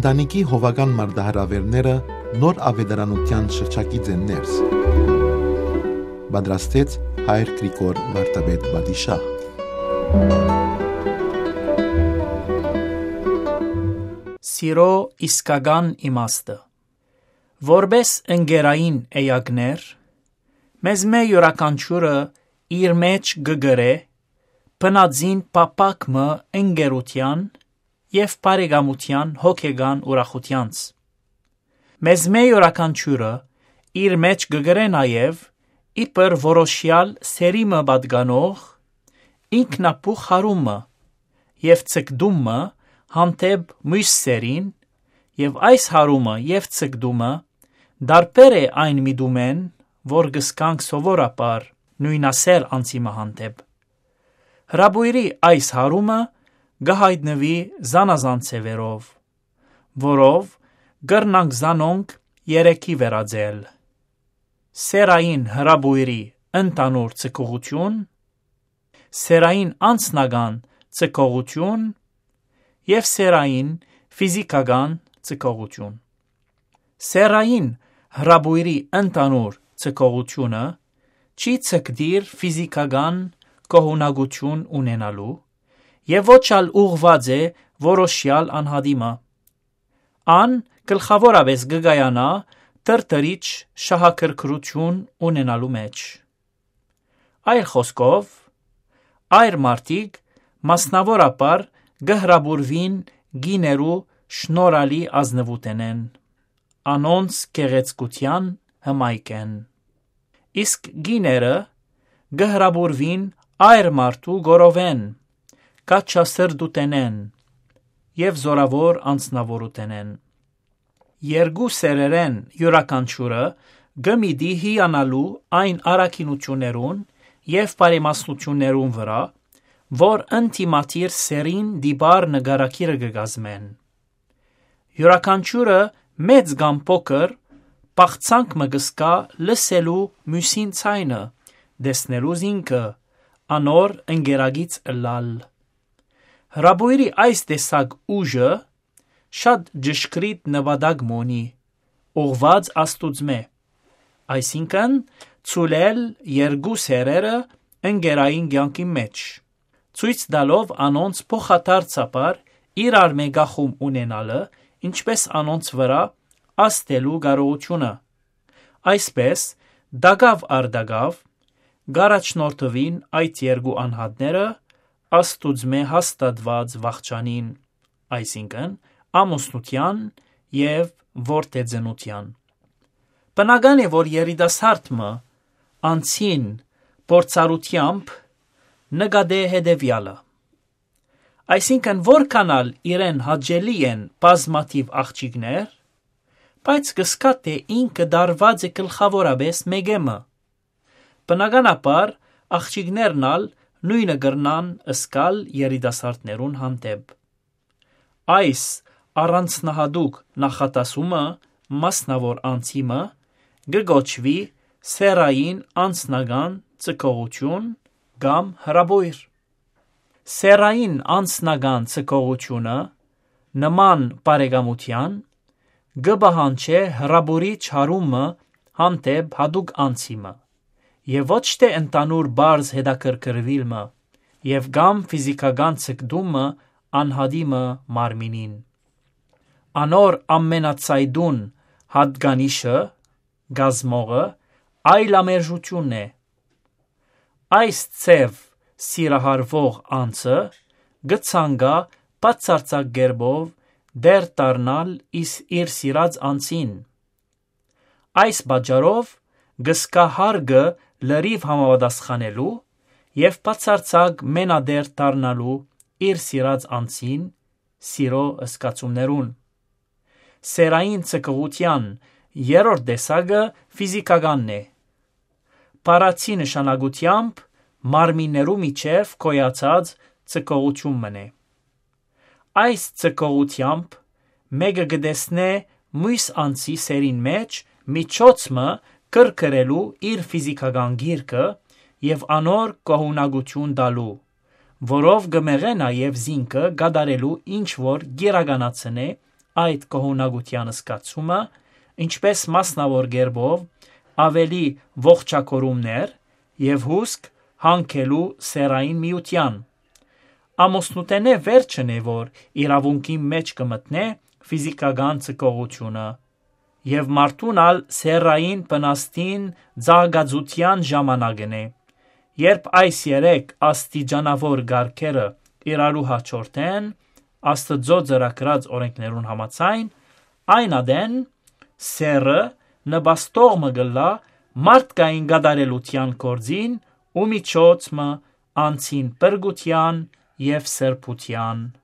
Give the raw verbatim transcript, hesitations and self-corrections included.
Տանիքի հովական մարտահրաւէրները նոր աւետարանութեան շրջակից են ներս։ Պատրաստեց հայր Գրիգոր Վարդապետ Պատիշահ։ Սիրո իսկական իմաստը։ Որպէս ընկերային էակներ, մեզմէ իւրաքանչիւրը իր մէջ կը կրէ բնածին փափաք մը ընկերութեան եւ բարեկամութեան հոգեկան ուրախութեանց։ Մեզմէ իւրաքանչիւրը իր մէջ կը կրէ նաեւ իբր որոշեալ սերի մը պատկանող ինքնաբուխ յարումը եւ ձգտումը հանդէպ միւս սերին, եւ այս յարումը եւ ձգտումը տարբեր է այն միտումէն, որ կը զգանք սովորաբար նոյնասեր անձի մը հանդէպ։ Հրապոյրի այս յարումը կը յայտնուի զանազան ձեւերով, որով կրնանք զանոնք երեքի վերածել. սերային հրապոյրի ընդհանուր ձգողութիւն, սերային անձնական ձգողութիւն եւ սերային ֆիզիքական ձգողութիւն։ Սերային հրապոյրի ընդհանուր ձգողութիւնը չի ձգտիր ֆիզիքական գոհունակութիւն ունենալու եւ ոչ ալ ուղղուած է որոշեալ անհատի մը։ Ան գլխաւորապէս կը կայանայ տրտրիչ շահագրգռութիւն ունենալու մէջ։ Այլ խօսքով, այր մարդիկ մասնաւորաբար կը հրապուրուին կիներու շնորհալի ազնուութենէն, անոնց գեղեցկութեան հմայքէն։ Իսկ կիները կը հրապուրուին այր մարդու գորովէն, կաչասրտութենէն եւ զօրաւոր անձնաւորութենէն։ Երկու սերերէն իւրաքանչիւրը կը միտի հիանալու այն առաքինութիւններուն եւ բարեմասնութիւններուն վրայ, որ ընդդիմադիր սերին տիպար նկարագիրը կը կազմեն։ Իւրաքանչիւրը մեծ կամ փոքր բաղձանք մը կը զգայ լսելու միւսին ձայնը, տեսնելու զինքը, անոր ընկերագիծ ըլլալ։ Հրապոյրի այս տեսակ ուժը շատ ճշգրիտ նպատակ մը ունի, ուղղուած Աստուծմէ, այսինքն՝ ցուլել երկու սերերը ընկերային կեանքին մէջ, ցոյց տալով անոնց փոխադարձաբար իրարմէ կախում ունենալը, ինչպէս անոնց վրայ ազդելու կարողութիւնը։ Այսպէս, տակաւ առ տակաւ, կ'առաջնորդուին այդ երկու անհատները Աստուծմէ հաստատուած վախճանին, այսինքն՝ ամուսնութեան եւ որդեծնութեան։ Բնական է, որ երիտասարդ մը անձին փորձառութեամբ նկատէ հետեւեալը։ Այսինքն՝ որքան ալ իրեն հաճելի են բազմաթիւ աղջիկներ, բայց կը զգայ, թէ ինքը տարուած է գլխաւորապէս մէկէ մը։ Բնականաբար, աղջիկներն ալ նոյնը կրնան զգալ երիտասարդներուն հանդէպ։ Այս առանձնահատուկ նախատասումը մասնաւոր անձի մը կը կոչուի սեռային անձնական ձգողութիւն կամ հրապոյր։ Սեռային անձնական ձգողութիւնը, նման բարեկամութեան, կը պահանջէ հրապուրիչ յարումը հանդէպ յատուկ անձի մը, եւ ոչ թէ ընդհանուր պարզ հետաքրքրուիլ մը, եւ կամ ֆիզիքական ձգտումը անհատի մը մարմինին։ Անոր ամենածայտուն յատկանիշը, կազմողը, այլամերժութիւնն է։ Այս ձեւ սիրահարուող անձը կը ցանկայ բացարձակ կերպով տէր դառնալ իս-, իր սիրած անձին։ Այս պատճառով կը զգայ հարգը լրիւ համապատասխանելու եւ բացարձակ մենատէր դառնալու իր սիրած անձին, սիրո զգացումներուն։ Սեռային ձգողութեան երրորդ տեսակը ֆիզիքականն է։ Բառացի նշանակութեամբ մարմիններու միջեւ գոյացած ձգողութիւն մըն է։ Այս ձգողութեամբ մէկը կը տեսնէ միւս անձի սերին մէջ միջոց մը կրկրելու իր ֆիզիքական գիրքը եւ անոր գոհունակութիւն տալու, որով կը մեղէ նաեւ զինքը կատարելու ինչ որ կիրականացնէ այդ կողմնակցութեան զգացումը, ինչպէս մասնաւոր կերպով աւելի ողջագորումներ եւ հուսկ հանգելու սեռային միութեան։ Ամուսնութենէ վերջն է, որ իրաւունքին մէջ կը մտնէ ֆիզիքական ձգողութիւնը, եւ մարդուն ալ սեռային բնաստին ծաղկածութեան ժամանակն է, երբ այս երեք աստիճանաւոր կարգերը իրարու հաջորդեն, Աստուծոյ ծրագրած օրէնքներուն համաձայն, այն ատեն սեռը նպաստող մը կ'ըլլայ մարդկային կատարելութեան գործին ու միջոց մը անձին փրկութեան եւ սրբութեան։